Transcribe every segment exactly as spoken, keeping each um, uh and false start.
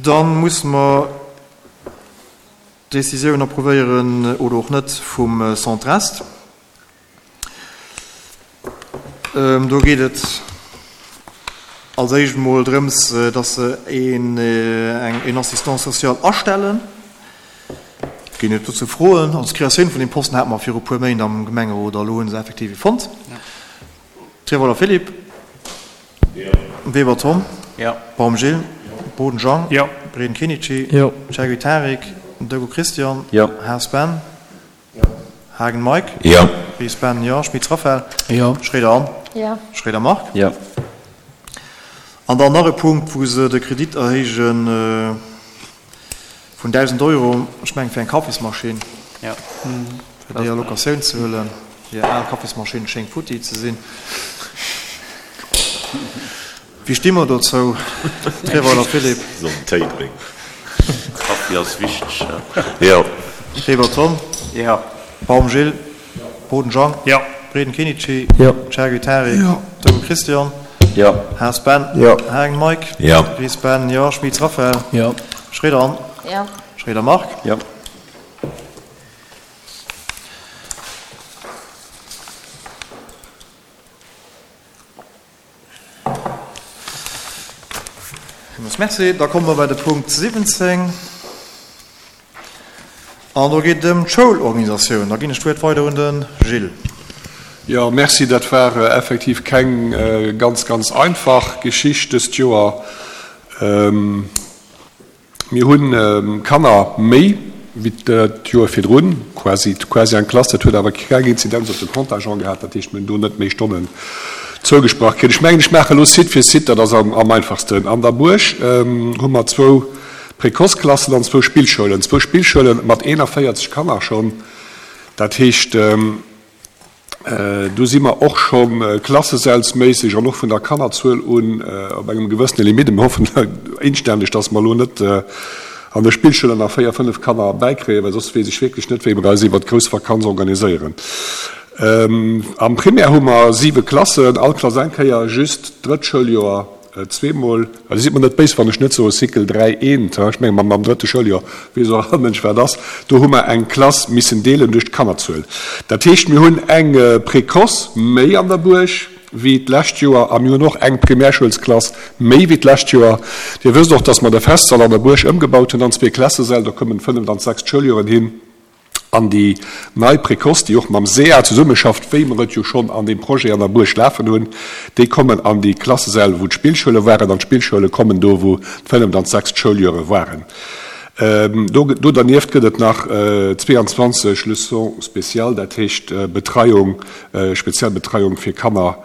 Dann musse mer d'Decisioun approuvéieren oder och net vum Centre Est. Do geet et als éischt emol drëms, dass se een, eng, een Assistant social astellen. Ginn et dozou Froen? Also d'Kreatioun vun deem Posten hate mer viru puer Méint am Gemengerot a elo hu se effektiv ee fonnt. Trewolder Philippe. Weber Tom. Baum Gilles. Boden Jean. Breden Kenichi. Chergui Tarik. Dego Christian. Haas Ben. Haagen Mike. Ries Ben, jo. Schmitz Raphaël. Schroeder Anne. Schroeder Marc. An dann nach e Punkt, wou se de Kredit erhéije vun dausend Euro, ech mengen fir eng Kaffismaschinn, fir déi a Locatioun ze huelen. Hir al Kaffismaschinn schéngt futti ze sinn. Wéi sti mer dozou, Treweiler Philippe? Soll en Téi drénken. Kaffi ass wichteg, jo. Weber Tom? Jo. Baum Gilles? Boden Jean? Jo. Breden Kenichi? Jo. Chergui Tarik? Jo. Dogo Christian? Jo. Haas Ben? Jo. Hagen Mike? Jo. Ries Ben? Jo. Schmitz Raphaël? Jo. Schroeder Anne? Jo. Schroeder Marc? Jo. Villmools Merci. Da komme mer bei de Punkt siwwenzéng. An do geet et ëm d'Schoulorganisatioun. Da ginn ech d'Wuert weider un de Gilles. Jo, merci. Dat war effektiv keng ganz, ganz einfach Geschicht dëst Joer. Mir hu Kanner méi wéi dat Joer virdrun, quasi, quasi eng Klass. Dat huet awer keng Inzidenz op de Contingent gehat, dat heescht, mir hunn do net méi Stonnen zougesprach kritt. Ech mengen, ech maache elo Site fir Site, dat ass am einfachsten. An der Buerg hu mer zwou Précoce-Klassen an zwou Spillschoulen, zwou Spillschoule mat eenanvéierzeg Kanner schonn. Dat heescht, Do si mer och scho klassesällsméisseg an och vun der Kannerzuel un op engem gewëssene Limite. Mir hoffen inständeg, dass mer elo net an de Spillschoulen nach véier, fënnef Kanner bäikréien, well soss weess ech wierklech net, wéi mer eis iwwert d'grouss Vakanz organiséieren. Am Primaire hu mer siwe Klassen, all Klass eng Kéier, just d'drëtt Schouljoer Zweemol, also sidd mer net béis, wann ech net soe Cycle dräi eent, ech menge mam drëtte Schouljoer weess och all Mënsch wat ass, do hu mer eng Klass missen deelen duerch d'Kannerzuel. Dat heescht, mir hunn eng Précoce méi an der Buerg wéi d'lescht Joer a mir hunn och eng Primärschoulsklass méi wéi d'lescht Joer. Dir wësst och, dass mer de Festsall an der Buerg ëmgebaut hunn an zwee Klassesäll, do kommen d'fënneft an d'sechst Schouljoren hin. An déi nei Précoce, déi och mam sea zesummeschafft, wéi mer et jo schonn an deem Projet an der Buerg lafen hunn, déi kommen an déi Klassesäll, wou d'Spillschoule waren, an d'Spillschoule kommen do, wou d'fënneft an d'sechst Schouljöre waren. Do, do dernieft gëtt et nach zweeanzwanzeg Leçons spéciales, dat heescht Betreiung, speziell Betreiung fir Kanner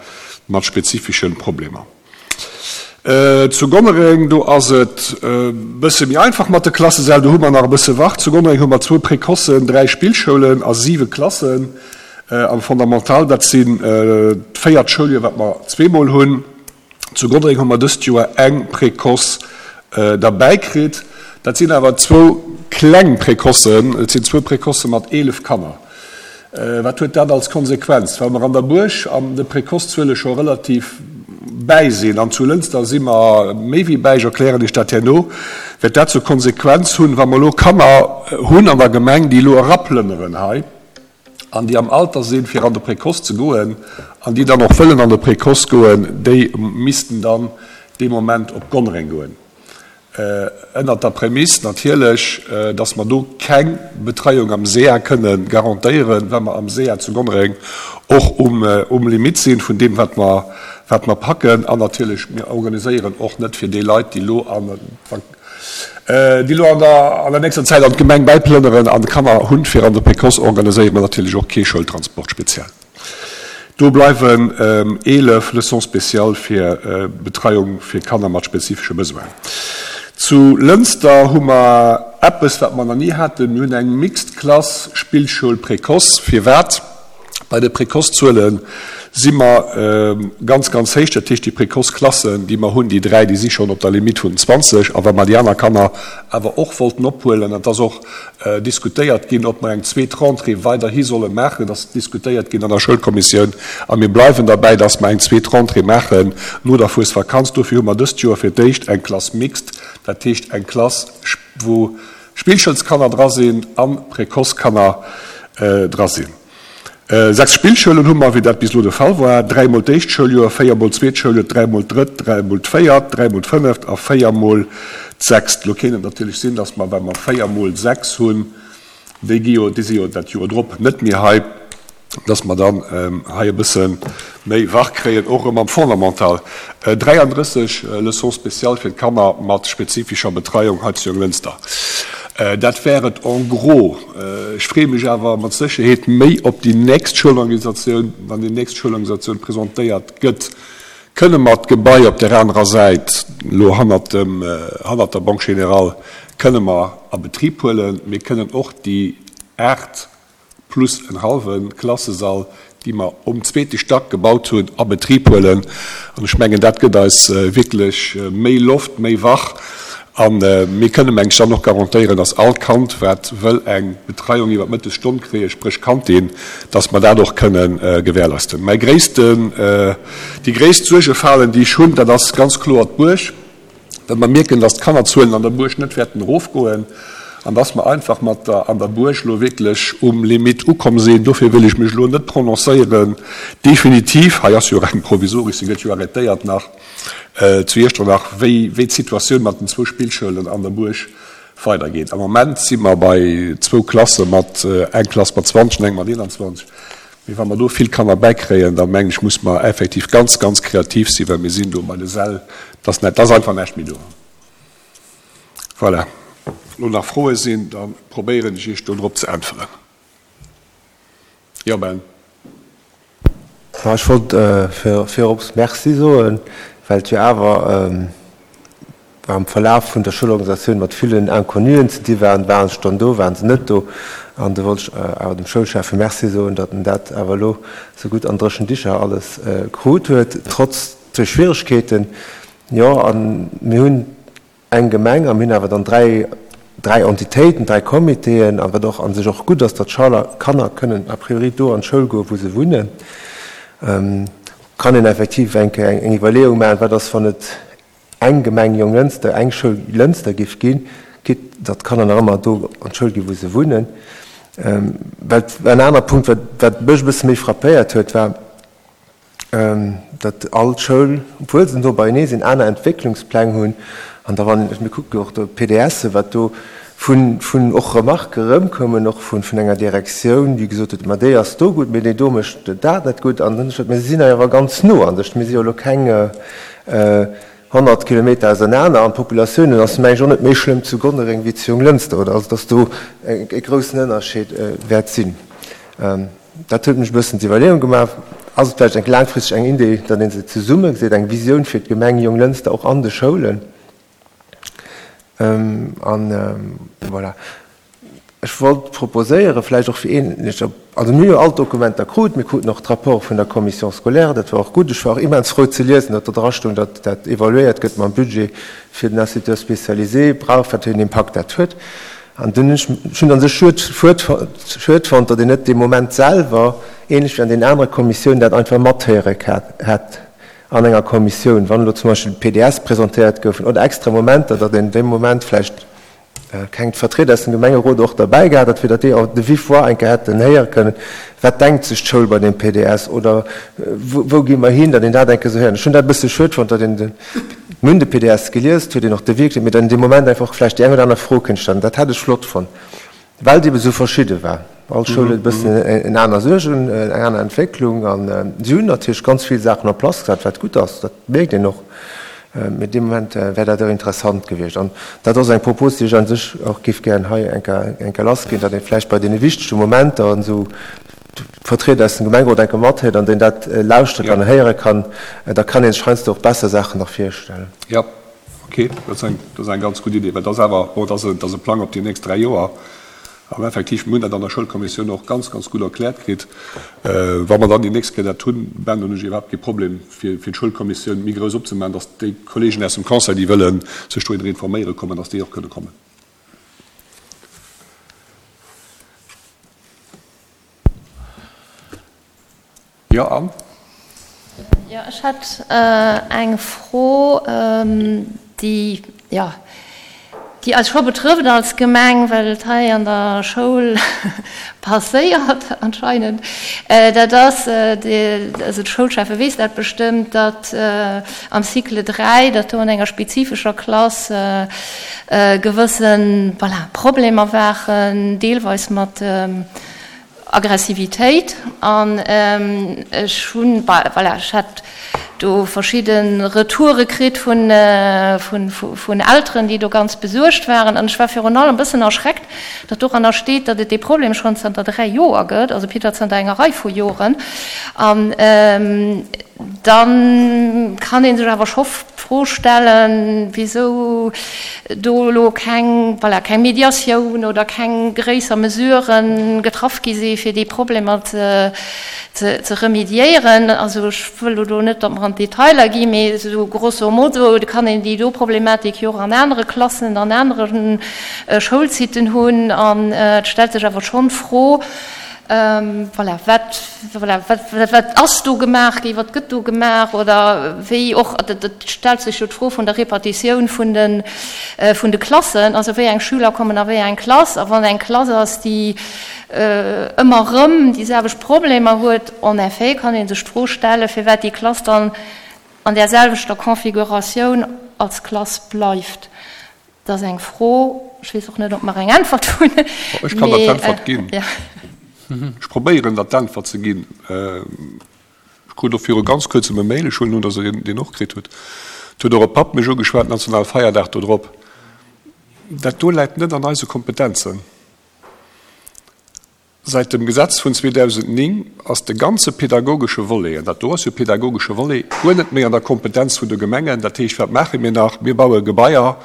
mat spezifische Problemer. Zu Gonnereng, do ass et e bësse méi einfach mat de Klassesäll, do hu mer nach e bësse Wart. Zu Gonnereng hu mer zwou Précocen, dräi Spillschoulen a siwe Klassen am Fondamental. Dat sinn d'véiert Schouljoer, wat mer zweemol hunn. Zu Gonnereng hu mer dëst Joer eng Précoce derbäi kritt. Dat sinn awer zwou kleng Précocen, et sinn zwou Précocë mat eelef Kanner. Wat huet dat als Konsequenz? Well mer an der Buerg an de Précoce-Zuele scho relativ bäi sinn, an zu Lënster si mer méi wéi bäi, ech erklären Iech dat herno, wäert dat zur Konsequenz hunn, wa mer elo Kanner hunn an der Gemeng, déi elo eraplënneren hei an déi am Alter sinn, fir an de Précoce ze goen an déi dann och wëllen an de Précoce goen, déi missten dann dee Moment op Gonnereng goen. Ënnert der Prämiss natierlech, dass mer do keng Betreiung am sea kënne garantéieren, well mer am sea zu Gonnereng och um Limit sinn vun deem, wat mer, wat mer packen. An natierlech, mir organiséieren och net fir déi Leit, déi elo an, déi elo an der, an der nächster Zäit an d'Gemeng bäiplënneren an Kanner hunn, fir an de Précoce organiséiere mer natierlech och kee Schoultransport speziell. Do bleiwen eelef Leçons spéciales fir Betreiung fir Kanner mat spezifesche Besoinen. Zu Lënster hu mer eppes, wat mer nach ni haten, Mir hunn eng mixed Klass, Spillschoul, Précoce. Firwat? Bei de Précoce-Zuele si mer ganz, ganz héich. Dat heescht, déi Précoce-Klassen, déi mer hunn, déi dräi, déi si schonn op der Limite vun zwanzeg. A wa mer déi aner Kanner awer och wollten ophuelen, an et ass och diskutéiert ginn, ob mer eng zweet Rentrée weiderhi solle maachen, et ass diskutéiert ginn an der Schoulkommissioun, a mir bleiwen derbäi, dass mer eng zweet Rentrée maachen no der Fuesvakanz. Dofir hu mer dëst Joer fir d'éischt eng Klass mixte, dat heescht eng Klass, wou Spillschoulskanner dra sinn a Précoce-Kanner dra sinn. Sechs Spillschoulen hu mer, wéi dat bis elo de Fall war, dräi mol d'éischt Schouljoer, véier mol d'zweet Schouljoer, dräi mol d'drëtt, dräi mol d'véiert, dräi mol d'fënneft a véier mol d'sechst. Elo kéint et natierlech sinn, datt mer, well mer véier mol sechs hunn, déi gi jo, déi si jo dat Joer drop net méi hei, datt mer dann hei e bësse méi wach kréien, och erëm am Fondamental. dräiandrësseg Leçons spéciales fir d'Kanner mat spezifischer Betreiung hei zu Jonglënster. Dat wär et en gros. Ech freeë mech awer mat Sécherheet méi op déi nächst Schoulorganisatioun. Wann déi nächst Schoulorganisatioun presentéiert gëtt, kënne mer d'Gebai op där anerer Säit, elo hannert dem, hannert der Banque Générale, kënne mer a Betrib huelen. Mir kënnen och déi aacht plus en hallwe Klassesall, déi mer um zweete Stack gebaut hunn, a Betrib huelen. An ech mengen, dat gëtt eis wierklech méi Loft, méi Wach. A mir kënnen, meng ech, dann och garantéieren, dass all Kand, wat wëll eng Betreiung iwwer d'Mëttesstonn kréien, spréch Kantin, dass mer dat och kënnen gewährleisten. Mäi gréissten, déi gréisst Suergefalen, déi ech hunn, dat ass ganz kloer d'Buerg, well mer mierken, dass d'Kannerzuelen an der Buerg net wäerten erofgoen an dass mer einfach mat der an der Buerg elo wierklech um Limit ukomm sinn. Dofir wëll ech mech elo net prononcéieren definitiv. Hei ass jo och eng provisoresch, se gëtt jo arrêtéiert nach zu Iechternach, wéi wéi d'Situatioun mat den zwou Spillschoulen an der Buerg weidergeet. Am Moment si mer bei zwou Klasse mat, eng Klass mat zwanzeg an eng mat eenanzwanzeg. Mee wa mer do vill Kanner bäikréien, da mengen ech, muss mer effektiv ganz, ganz kreativ sinn, well mir sinn do bei de Säll, dass net, da ass einfach näischt méi do. Voilà. Lo nach Froe sinn, da probéieren ech Iech do drop ze äntweren. Jo, Ben. Ma ech wollt virops Merci soen, well et jo awer am Verlaf vun der Schoulorganisatioun mat villen Inconnuen ze di waren. Waren se dann do, waren se net do? An do wollt ech awer dem Schoulschäffe Merci soen, datt en dat awer elo esou gutt an dréchen Dicher alles krut huet, trotz de Schwieregkeeten. Jo, a mir hunn eng Gemeng a mir hunn awer dann dräi, dräi Entitéiten, dräi Comitéen, a wat och a sech och gutt ass, datt d'Schaler, Kanner kënnen a priori do an d'Schoul goen, wou se wunnen. Kann een effektiv eng Kéier eng Iwwerleeung maachen, wat ass, wann et eng Gemeng Jonglënster, eng Schoul Lënster géif ginn, quitte datt d'Kanner nach ëmmer do an d'Schoul ginn, wou se wunnen. Well en aner Punkt, wat, wat mech e bësse méi frappéiert huet, war, datt all Schoul, obwuel se no beienee sinn, aner Entwécklungspläng hunn. An da wann, mir kucke jo och do d'PDSe, wat do vun, vun och Remarquë erëmkoumen, och vun, vun enger Direktioun, déi gesot huet, ma déi ass do gutt, mee déi do mécht dat net gutt. An dann hu ech gesot, mä se sinn awer ganz no an sech, mir si jo elo keng honnert Kilometer ausernaner an d'Populatiounen ass, meng ech, och net méi schlëmm zu Gonnereng wéi zu Jonglënster, oder? Also datt do e groussen Ënnerscheed wäert sinn. Dat huet mech e bëssen d'Iwwerleeung gemaach, Ass et vläicht eng laangfristeg eng Idee, datt ee se zesumme geseet, eng Visioun fir d'Gemeng Jonglënster och an de Schoulen? An voilà. Ech wollt proposéieren, vläicht och fir een, also mir hu jo all d'Dokumenter krut, mir kruten och d'Rapporte vun der Commission scolaire, dat war och gutt. Ech war och immens frou ze liesen, datt do drastoung, datt dat evaluéiert gëtt mam Budget fir den Instituteur spécialisé brauch, wat fir en Impakt dat huet. An dunn hunn ech, ech hunn an sech schued, schued, schued fonnt, datt een net dee Moment selwer, ähnlech wéi an deenen anere Kommissiounen, dat einfach mathéiere hätt an enger Kommissioun, wann elo zum Beispill d'PDS presentéiert goufen oder extra Momenter, datt een dee Moment vläicht keng Vertrieder aus dem Gemengerot och derbäi gehat hätt, fir datt déi och de vive voix eng Kéier hätten héiere kënnen, wat denkt sech d'Schoul bei deem P D S oder wou gi mer hin, datt een dat eng Kéier esou héieren. Ech hunn dat e bësse schued fonnt, datt een de, Mir hunn de P D S gelies, et huet een och de Wierk, mee dann dee Moment einfach vläicht déi eng oder aner Fro kënnt stellen. Dat hätt ech flott fonnt, well et ebe sou verschidde war. All Schoul huet e bëssen en aner Suergen, eng aner Entwécklung an si hunn natierlech ganz vill Saachen en place gesat, wat gutt ass, dat mierkt een och. Mee dee Moment wär dat och interessant gewiescht. An dat ass eng Propos, déi ech a sech och géif gären hei eng Kéier lassginn, datt ee vläicht bei deene wichtege Momenter an esou Vertrieder aus dem Gemengerot enke mathéiert an deen dat lauschtere kann, héiere kann, da kann ee sech heiansdo och besser Saachen nach virstellen. Jo, okay, dat ass eng, dat ass eng ganz gutt Idee, well dat ass awer, bon, dat ass e, dat ass e Plang op déi nächst dräi Joer. An effektiv, mir hunn dat an der Schoulkommissioun och ganz, ganz gutt erkläert kritt. Wa mer dann déi nächst Kéier dat hunn, Ben, hunn ech iwwerhaapt kee Problem, fir d'Schoulkommissioun méi grouss opzemaachen, dass déi Kolleegen aus dem Conseil, déi wëlle sech dohinner informéiere kommen, dass déi och kënne kommen. Jo, Anne? Jo, ech hätt eng Fro, déi, jo, déi eis scho betrëfft als Gemeng, well et hei an der Schoul passéiert anscheinend. Dat ass, also de Schoulschäffe weess dat bestëmmt, datt am Cycle dräi, datt do an enger spezifescher Klass gewësse, voilà, Problemer waren, deelweis mat Aggressivitéit. An ech hunn, voilà, ech hat do verschidde Retoure kritt vun Elteren, déi do ganz besuergt waren. An ech war virun allem e bëssen erschreckt, datt doranner steet, datt et dee Problem schonn zanter dräi Joer gëtt, also Peter, zanter enger Rei vu Joren. An da kann ee sech awer scho d'Fro stellen, wisou do elo keng, voilà, keng Mediatioun oder keng gréisser Mesurë getraff gi si fir déi Problemer ze, ze remediéieren. Also ech wëll elo do net, datt mer an d'Detailer ginn, mee esou grosso modo kann een déi do Problematik jo och an anere Klassen, an anere Schoulsiten hunn. An et stellt sech awer schonn d'Fro, voilà, wat, voilà, wat, wat ass do gemaach ginn, wat gëtt do gemaach oder wéi och, et stellt sech jo d'Fro vun der Repartitioun vun de, vun de Klassen, also wéi eng Schüler kommen a wéi eng Klass a wann eng Klass ass, déi ëmmer erëm déi selwecht Problemer huet, en effet kann ee sech d'Fro stellen, firwat déi Klass dann an där selwechter Configuratioun als Klass bleift. Dat ass eng Fro, ech weess och net, ob mer eng Äntwert hunn. Ech kann der d'Äntwert ginn. Ech probéieren, der d'Äntwert ze ginn. Ech krut och viru ganz kuerzem e Mail, ech huelen un, datt Der deen och kritt hutt. Et huet och e Papp mech ugeschwat, Nationalfeierdag do drop. Dat do läit net an eise Kompetenzen. Säit dem Gesetz vun zweedausendnéng ass de ganze pedagogesche Volet, an dat do ass jo pedagogesche Volet, guer net méi an der Kompetenz vun de Gemengen. Dat heescht, wat maache mir nach? Mir baue Gebaier,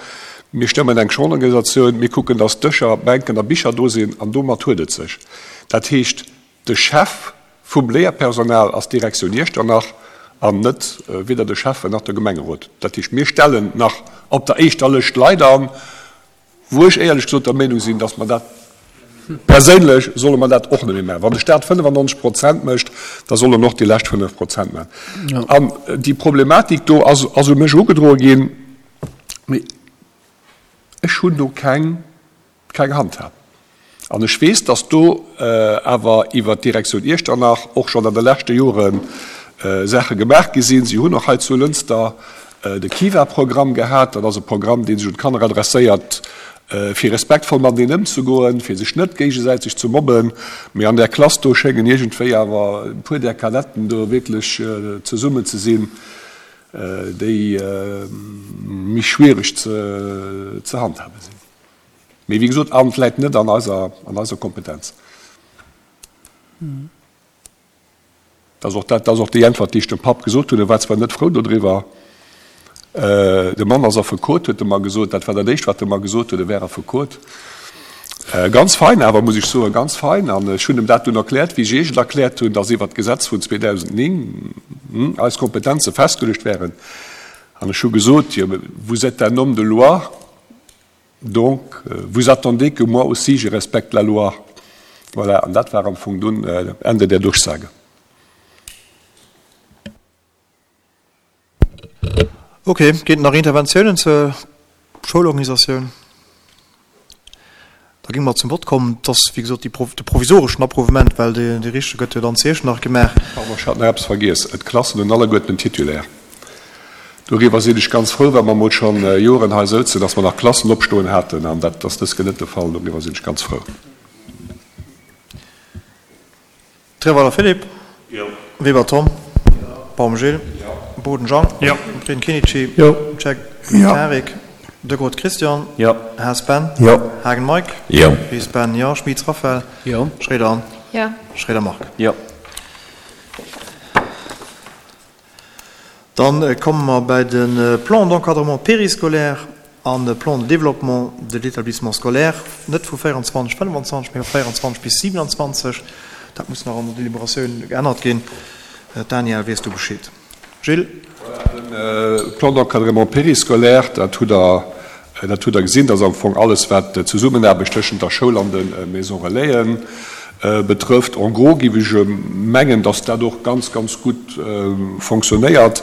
mir stëmmen eng Schorganisatioun, mir kucken, dass Dëscher, Bänken a Bicher do sinn, an domat huet et sech. Dat heescht, de Chef vum Léierpersonal ass d'Direktioun Iechternach an net weder de Schäffen nach de Gemengerot. Dat heescht, mir stellen nach op der éischter Lëscht Leit an, wou ech éierlech gesot der Meenung sinn, dass mer dat perséinlech solle mer dat och net méi maachen. Wann de Staat fënnefannonzeg Prozent mécht, da soll en och déi lescht fënnef Prozent maachen. An déi Problematik do ass ass u mech erugedroe ginn, mee ech hunn do keng keng Handhab. An ech weess, dass do awer iwwert d'Direktioun Iechternach och schonn an de leschte Jore Saache gemaach gi sinn. Si hunn och hei zu Lënster de Kiva-Programm gehat. Dat ass e Programm, dee sech un d'Kanner adresséiert, fir respektvoll mateneen ëmzegoen, fir sech net géigesäiteg ze mobben. Mee an där Klass do schéngen iergendwéi awer e puer där Kadetten do wierklech zesummen ze sinn, déi méi schwiereg ze handhabe sinn. Mee wéi gesot, Amt läit net an eiser, an eiser Kompetenz. Dat ass och dat, dat ass och déi Äntwert, déi ech dem Papp gesot hunn. E war zwar net frou dodriwwer. De Mann ass Affekot, huet e mer gesot. Dat war dat Éischt, wat e mer gesot huet, e wär Affekot. Ganz fein awer, muss ech soen, ganz fein. An ech hunn em dat dunn erkläert, wéi ech Iech et erkläert hunn, dass iwwert d'Gesetz vun zweedausendnéng eis Kompetenze festgeluecht wären. An ech hu gesot, Jo, vous êtes un homme de loi, donc vous attendez que moi aussi je respecte la loi. Voilà, an dat war am Fong dunn Ende der Durchsage. Ok, ginn et nach Interventiounen zur Schoulorganisatioun? Da géinge mer zum Vott kommen. Et ass, wéi gesot, de provisoreschen Approuvement, well dee richtege gëtt jo dann zu Iechternach gemaach. Pardon, ech hat nach eppes vergiess. D'Klassen hunn alleguerten en Titulaire. Doriwwer sinn ech ganz frou, well mer emol schonn Joren hei souzen, dass mer nach Klassen opstoen haten, an dat ass dës Kéier net de Fall. Doriwwer sinn ech ganz frou. Treweiler Philippe, Weber Tom, Baum Gilles, Boden Jean, Prin Kinici, Cheikh Tarik, De Groot Christian, Haas Ben, Haagen Mike, Ries Ben, jo, Schmitz Raphaël, Schroeder Anne, Schroeder Marc. Dann komme mer bei de Plan d'encadrement périscolaire. An de Plan de développement de l'établissement scolaire, net vu véierundzwanzeg, fënnefanzwanzeg, mee vu véierundzwanzeg bis siewenundzwanzeg. Dat muss nach an der Deliberatioun geännert ginn. Daniel, weess du Bescheed? Gilles? Voilà, de Plan d'encadrement périscolaire, dat hutt Der, dat hutt Der gesinn, dat ass am Fong alles, wat d'Zesummenaarbecht tëschent der Schoul an de Maisons Relaisen betrëfft. En gros géif ech mengen, dass dat och ganz, ganz gutt fonctionnéiert.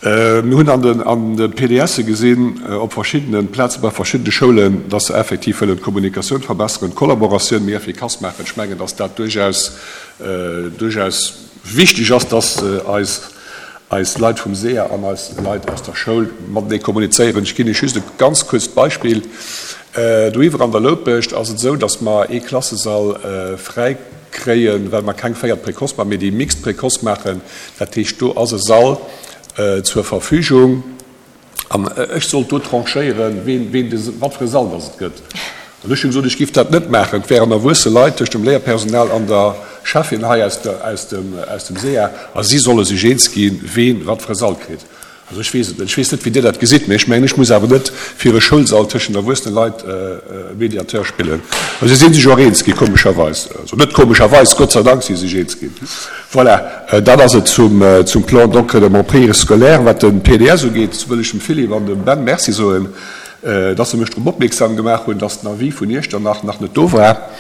Mir hunn an den, an de P D Sse gesinn, op verschiddene Plaze bei verschiddene Schoulen, dass se effektiv wëllen d'Kommunikatioun verbesseren, d'Kollaboratioun méi effikass maachen. Ech mengen, dass dat duerchaus, duerchaus wichteg ass, dass eis, eis Leit vum S E A an eis Leit aus der Schoul matenee kommunizéieren. Ech ginn Iech just e ganz kuerzt Beispill. Doiwwer an der Loupescht ass et esou, dass mer ee Klassesall fräi kréien, well mer keng véiert Précoce maachen, mee déi mixed Précoce maachen. Dat heescht, do ass e Sall zur Verfügung. An ech sollt do tranchéieren, ween, ween de, wat fir e Sall dass et gëtt. An ech hunn gesot, ech giff dat net maachen. Et wären erwuesse Leit tëscht dem Léierpersonal an der Chefin hei aus der, aus dem, aus dem S E A, a si solle sech eens ginn, ween wat fir e Sall kritt. Also ech weess et net. Ech weess net, wéi Dir dat gesitt, mee ech mengen, ech muss awer net fir e Schoulsall tëschent erwuessene Leit Mediateur spillen. Also si sinn sech och eens ginn, komescherweis. Also net komescherweis, Gott sei Dank si sech eens ginn. Voilà, dat ass et zum, zum Plan d'encadrement périscolaire. Wat den P D S ugeet, wëll ech dem Philippe an dem Ben Merci soen, dass se mech drop opmierksam gemaach hunn, dass den Avis vun Iechternach nach net do war.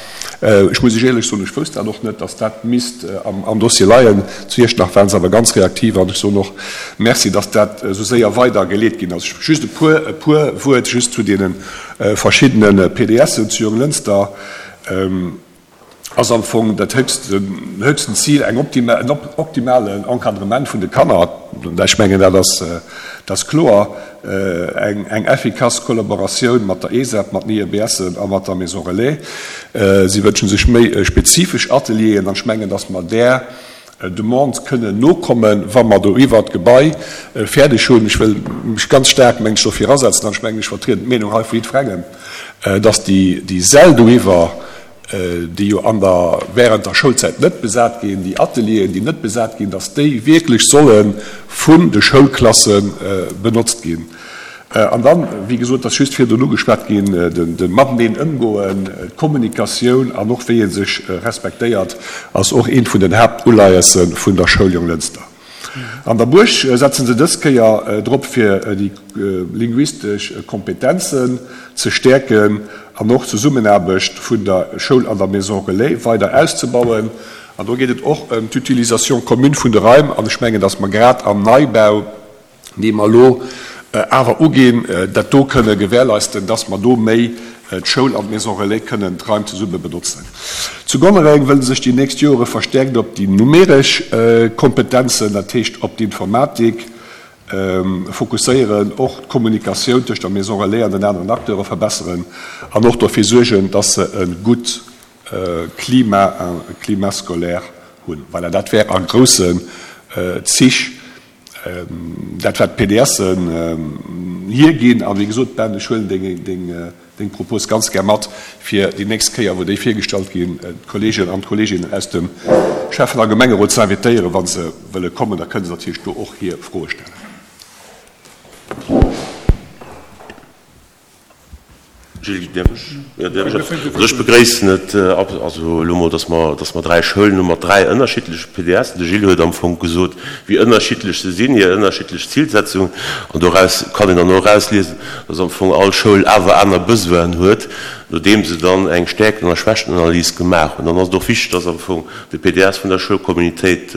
Ech muss Iech éierlech soen, ech wousst dat och net, dass dat misst am, am Dossier leien. Zu Iechternach waren se awer ganz reaktiv an ech soen och Merci, dass dat esou séier weidergeleet ginn ass. Just e puer, e puer Wuert just zu deene verschiddene P D Sen zu Jonglënster. Ass am Fong dat höchsten, höchsten Ziel eng optima-, en op-, optimalen Encadrement vun de Kanner. Ech mengen, dat ass, dat ass kloer. Eng, eng effikass Kollaboratioun mat der E S A P, mat den I E B S a mat der Maison Relais. Si wënschen sech méi spezifesch Atelieren an ech mengen, dass mer där Demande kënnen nokommen, wa mer do iwwer d'Gebai fäerdeg hunn. Ech wëll mech ganz staark, mengen ech, dofir asetzen an ech mengen, ech vertrieden d'Meenung hei vu jiddwerengem, dass déi, déi Säll do iwwer, déi jo an der, während der Schoulzäit net besat ginn, déi Atelieren, déi net besat ginn, dass déi wierklech solle vun de Schoulklasse benotzt ginn. An dann, wéi gesot, dass just virdrun ugeschwat ginn, den, den mateneen ëmgoen, d'Kommunikatioun an och wéi ee sech respektéiert, ass och eent vun den Haaptuleiesse vun der Schoul Jonglënster. An der Buerg setzen se dës Kéier drop, fir déi linguistesch Kompetenzen ze stäerken an och d'Zesummenaarbecht vun der Schoul an der Maison Relais weider auszebauen. An do geet et och ëm d'Utilisation commune vun de Raim. An ech mengen, dass mer grad am Neibau, dee mer elo awer uginn, dat do kënne gewährleisten, dass mer do méi d'Schoul an d'Maison Relais kënnen d'Raim zesumme benotzen. Zu Gonnereng wëllen sech déi nächst Jore verstärkt op déi numeresch Kompetenzen, dat heescht op d'Informatik, fokusséieren, och d'Kommunikatioun tëscht der Maison Relais an den aneren Acteure verbesseren an och dofir suergen, dass se e gutt Klima, un Climat scolaire hunn. Voilà, dat wär a groussen Zich dat, wat d'P D Sen hierginn. An wéi gesot, Ben, ech huelen deng, deng, deng Propos ganz gär mat, fir déi nächst Kéier, wou déi virgestallt ginn, d'Kollegen an d'Kolleginnen aus dem Schäffen- a Gemengerot ze invitéieren, wa se wëlle kommen. Da kënnen se natierlech do och hir Froe stellen. Gilles, däerf ech? Ja, däerf ech? Also ech begréissen et, also elo mol, dass mer, dass mer dräi Schoulen hu mat dräi ënnerschiddleche P D S. De Gilles huet am Fong gesot, wéi ënnerschiddlech se sinn, hir ënnerschiddlech Zilsetzung. An doraus kann een dann och erausliesen, dass am Fong all Schoul awer aner Besoinen huet, nodeem se dann eng Stärkten- a Schwächtenanalys gemaach hunn. Dann ass et och wichteg, dass am Fong de P D S vun der Schoulcommunitéit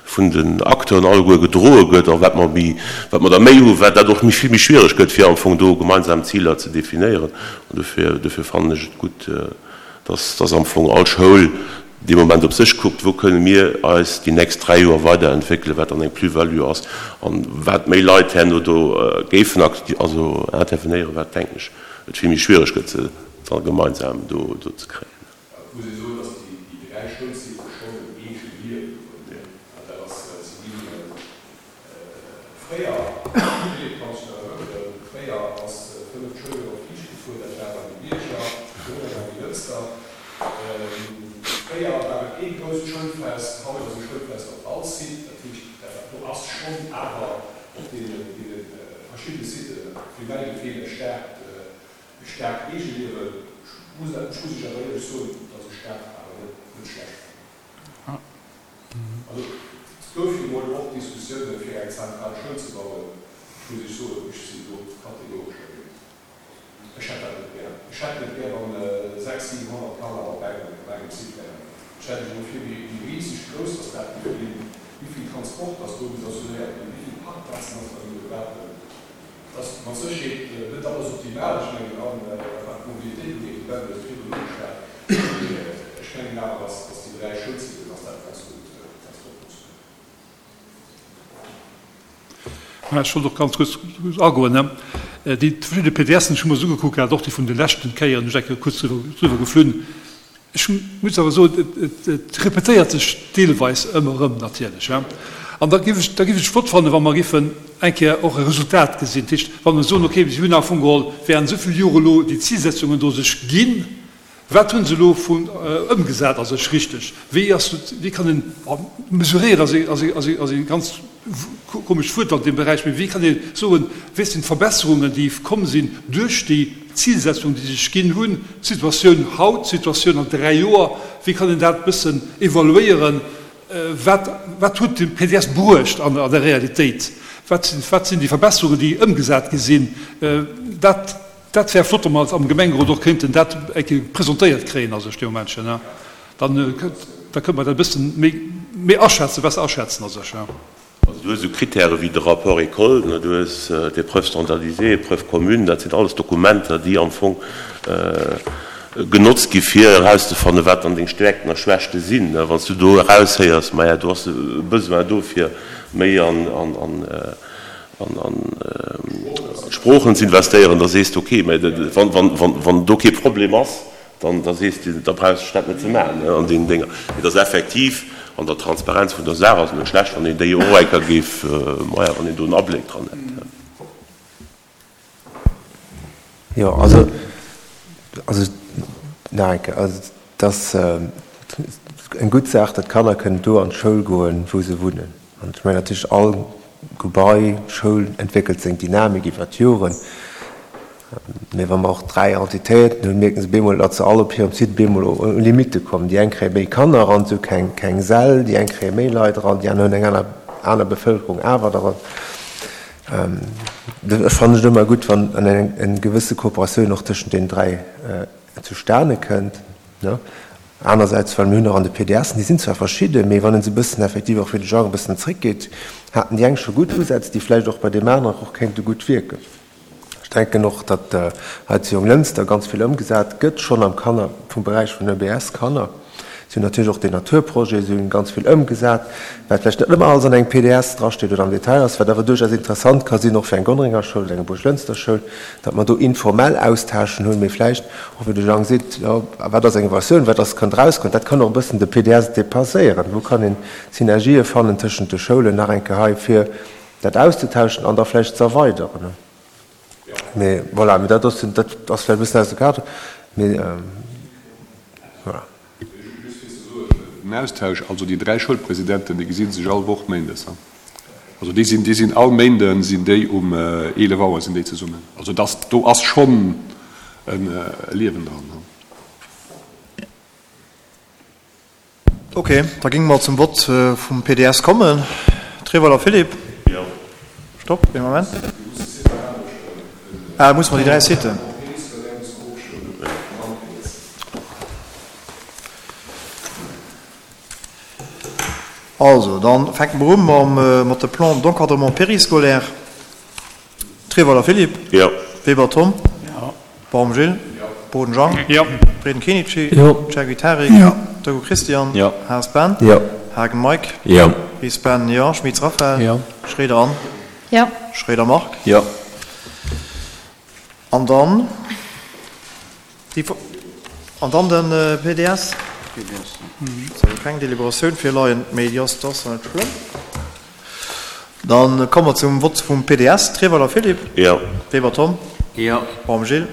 vun den Acteuren alleguer gedroe gëtt, a wat mer méi, wat mer da méi hu, wat dat och méi vill méi schwierig gëtt, fir am Fong do gemeinsam Ziler ze definéieren. An dofir, dofir fannen ech et gutt, dass, dass am Fong all Schoul dee Moment op sech kuckt, wou kënne mir eis déi nächst dräi Joer weiterentwéckelen, wat dann eng Plus-value ass, an wat méi Leit herno do géifen akti-, also intervenéieren, wat, denken ech, et vill méi schwierig gëtt, se dann gemeinsam do, do ze kréien. Et muss ee soen, dass déi, déi dräi Schoulsitte schonn en eege Liewen hunn. Dat ass, si ginn fréier, Philippe kann sech nach erënneren, fréier ass d'fënneft Schouljoer op Flicht gefuer, dat war bei de Bierger, Gonnereng a Jonglënster. Fréier war et ee grousst Schoulfest, haut ass e Schoulfest op all Site. Dat heescht, dat do ass schonn awer op deene, deene verschiddene verschidde Siten, fir mäi Gefill e staarkt, e staarkt Eegeliewen. Ech muss, ech muss Iech awer éierlech soen, datt ech dat awer net, net schlecht fannen. Also et gouf jo mol och Diskussiounen, fir eng zentral Schoul ze bauen. Ech muss Iech soen, ech sinn do kategoresch dergéint. Ech hätt dat net gär. Ech hätt net gär, wann sechs, siwenhonnert Kanner op engem, op engem Site wären. Stellt Iech emol vir, wéi riseg grouss dass dat géif ginn, wéi vill Transport dass do muss assuréiert ginn, wéi vill Parkplazen dass da géife brauchen. Et ass mat Sécherheet net alles optimal, ech mengen, a wat d'Mobilitéit ugeet, de Ben huet et virdrun ugeschwat, mee ech mengen awer, dass déi dräi Schoulsiten, dass dat ganz gutt, ganz gutt funktionéiert. Ech wollt och ganz kuerz agoen. Déi verschidde PDSen, ech hu mer se ugekuckt gehat, och déi vun de leschten Kéieren, hu ech eng Kéier kuerz driwwer geflunn. Ech muss awer soen, et repetéiert sech deelweis ëmmer erëm natierlech. An da géif ech, da géif ech et flott fannen, wa mer géifen eng Kéier och e Resultat gesinn. Dat heescht, wa mer soen, okay, si hunn am Fong geholl während esou vill Jore elo déi Zilsetzungen do sech ginn, wat hu se elo vun ëmgesat a sech richteg? Wéi ass, wéi kann een, mesuréieren ass ee, ass ee, ass ee, ass ee ganz komescht Wuert an deem Beräich, mee wéi kann ee soen, wéi sinn d'Verbesserungen, déi komm sinn duerch déi Zilsetzung, déi sech ginn hunn, d'Situatioun haut, d'Situatioun an dräi Joer, wéi kann een dat e bëssen evaluéieren, wat, wat huet de P D S bruecht an der Realitéit, wat sinn, wat sinn déi Verbesserungen, déi ëmgesat gi sinn, dat, dat wär flott, wa mer am Gemengerot och kéinten dat eng Kéier presentéiert kréien a sech dee Momentchen. Dann da kënnt mer dat e bëssen méi, méi aschätzen, besser aschätzen a sech. Also du hues esou Kritäre wéi de Rapport école, du hues d'Épreuves standardisées, Épreuves communes, dat sinn alles Dokumenter, déi am Fong genotzt gi fir erauszefannen, wat dann deng Stäerkten a Schwächte sinn. Wann s du do eraushéiers, maja do ass e Besoin do fir méi an d'Sproochen ze investéieren, da sees de, okay, mä wann do kee Problem ass, Dann da sees de, da brauchs de dat net ze maachen an deenen Dénger. Mee et ass effektiv an der Transparenz vun der Saach ass et net schlecht, wann een déi och eng Kéier géif, maja, wann een do en Abléck dran hätt. Jo, also, also nach eng Kéier, also et ass eng gutt Saach, datt d'Kanner kënnen do an d'Schoul goen, wou se wunnen. An ech mengen natierlech, all Gebai, Schoul entwéckelt seng Dynamik iwwer d'Joren. Mee wa mer och dräi Entitéiten hunn, mierken se bemol, datt se all op hirem Site bemol u Limitte kommen. Déi eng kréie méi Kanner eran, se hu keng, keng Säll, déi eng kréie méi Leit eran, déi aner hunn eng aner, aner Bevëlkerung awer eran. Ech fannen et ëmmer gutt, wann eng, eng gewësse Kooperatioun och tëschent deenen dräi zustane kënnt. Anersäits, well mir hunn och an de P D Sen, déi sinn zwar verschidden, mee wann ee se e bëssen effektiv och fir de Genre e bëssen zréckgeet, haten déi eng scho gutt Usätz, déi vläicht och bei deem aneren och kéinte gutt wierken. Ech denken och, datt hei zu Jonglënster ganz vill ëmgesat gëtt, schonn am Kanner, vum Beräich vun E B S-Kanner. Si hunn natierlech och deen Naturprojet, si hunn ganz vill ëmgesat, wat vläicht net ëmmer alles an engem P D S drasteet oder am Detail ass, wat awer duerchaus interessant ka sinn, och fir eng Gonnerenger Schoul oder eng Buerglënster Schoul, datt mer do informell Austauschen hunn, mee vläicht och, wéi de Jang seet, jo, wat ass eng Evaluatioun, wat ass, kann erauskommen, dat kann och e bëssen de P D S dépasséieren. Wou kann een Synergië fannen tëschent de Schoulen nach eng Kéier hei, fir dat auszetauschen an da vläicht ze erweideren. Mee voilà, mee dat ass, dat ass vläicht e bëssen aus dem Cadre, mee voilà. Just fir ze soen, den Austausch, also déi dräi Schoulpresidenten, déi gesi sech all Woch méindes. Also déi sinn, déi sinn all Méinde sinn déi um eelef Auer sinn déi zesummen. Also dass, do ass schonn e Liewen dran. Ok, da géinge mer zum Vott vum P D S kommen. Treweiler Philippe. Jo. Stopp, ee Moment. Ah, musse mer déi dräi Siten. Also, dann fänke mer u mam, mat de Plan d'encadrement périscolaire. Treweiler Philippe. Jo. Weber Tom. Jo. Baum Gilles. Jo. Boden Jang. Jo. Breden Kenichi. Jo. Chergui Tarik. Jo. Dego Christian. Jo. Haas Ben. Jo. Haagen Mike. Jo. Ries Ben, jo. Schmitz Raphaël. Jo. Schroeder Anne. Jo. Schroeder Marc. Jo. An dann déi, an dann de P D S. Ass awer keng Deliberatioun virleien, mee déi ass, dat ass net schlëmm. Dann komme mer zum Vott vum P D S. Treweiler Philippe. Jo. Weber Tom. Jo. Baum Gilles.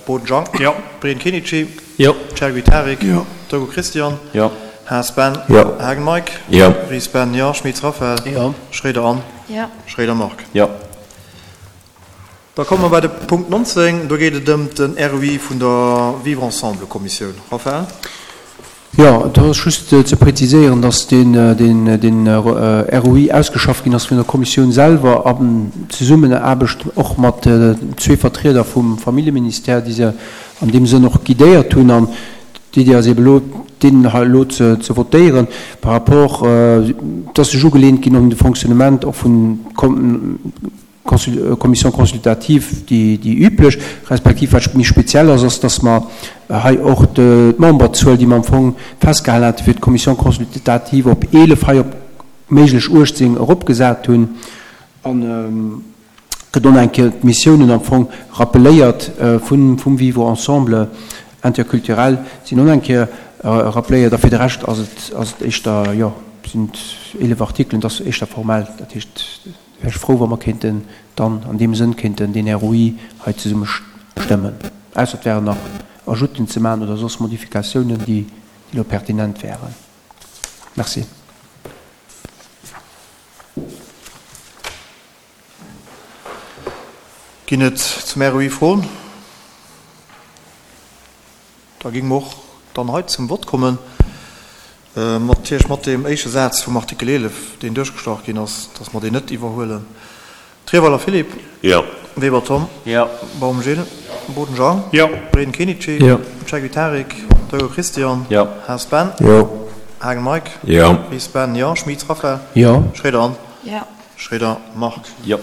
Boden Jang. Jo. Breden Kenichi. Jo. Chergui Tarik. Jo. Dego Christian. Jo. Haas Ben. Jo. Haagen Mike. Jo. Ries Ben, jo. Schmitz Raphaël. Jo. Schroeder Anne. Jo. Schroeder Marc. Jo. Da komme mer bei de Punkt nonzéng. Do geet et ëm den R O I vun der Vivre Ensemble-Kommissioun. Raphaël? Jo, do ass just ze präziséieren, dass deen R O I ausgeschafft ginn ass vun der Kommissioun selwer an Zesummenaarbecht och mat zwee Vertrieder vum Familljeministère, déi se an deem Sënn och guidéiert hunn. An d'Iddi ass eeben elo, deen hei elo ze votéieren par rapport, et ass sech ugelehnt ginn un de Fonctionnement och vun Commission consultative, déi üblech, respektiv wat méi speziell ass, ass, dass mer hei och d'Memberzuel, déi mer am Fong festgehalen hate fir d'Commission consultative op eelef, hei op méiglech uechtzéng eropgesat hunn. An gëtt och nach eng Kéier d'Missiounen am Fong rappeléiert vum Vivre ensemble interculturel, sinn och nach eng Kéier rappeléiert. A fir de Rescht ass et, ass et éischter, jo, sinn et eelef Artikelen, et ass éischter formell, dat heescht, wär ech frou, wa mer kéinten dann an deem Sënn kéinten deen R O I hei zesumme stëmmen, ausser et wären nach Ajouten ze maachen oder soss Modifikatiounen, déi elo pertinent wären. Merci. Ginn et zum R O I Froen? Da géinge mer och dann hei zum Vott kommen, natierlech mat deem éischte Saz vum Artikel eelef, deen duerchgestrach ginn ass, dass mer deen net iwwerhuelen. Trierweiler Philippe. Jo. Weber Tom. Jo. Baum Gilles. Boden Jean. Jo. Breden Kenichi. Jo. Cegiu Tarik. Deugo Christian. Jo. Haas Ben. Jo. Haagen Mike. Jo. Ries Ben, jo. Schmit Raphaël. Jo. Schroeder Anne. Jo. Schroeder Marc. Jo.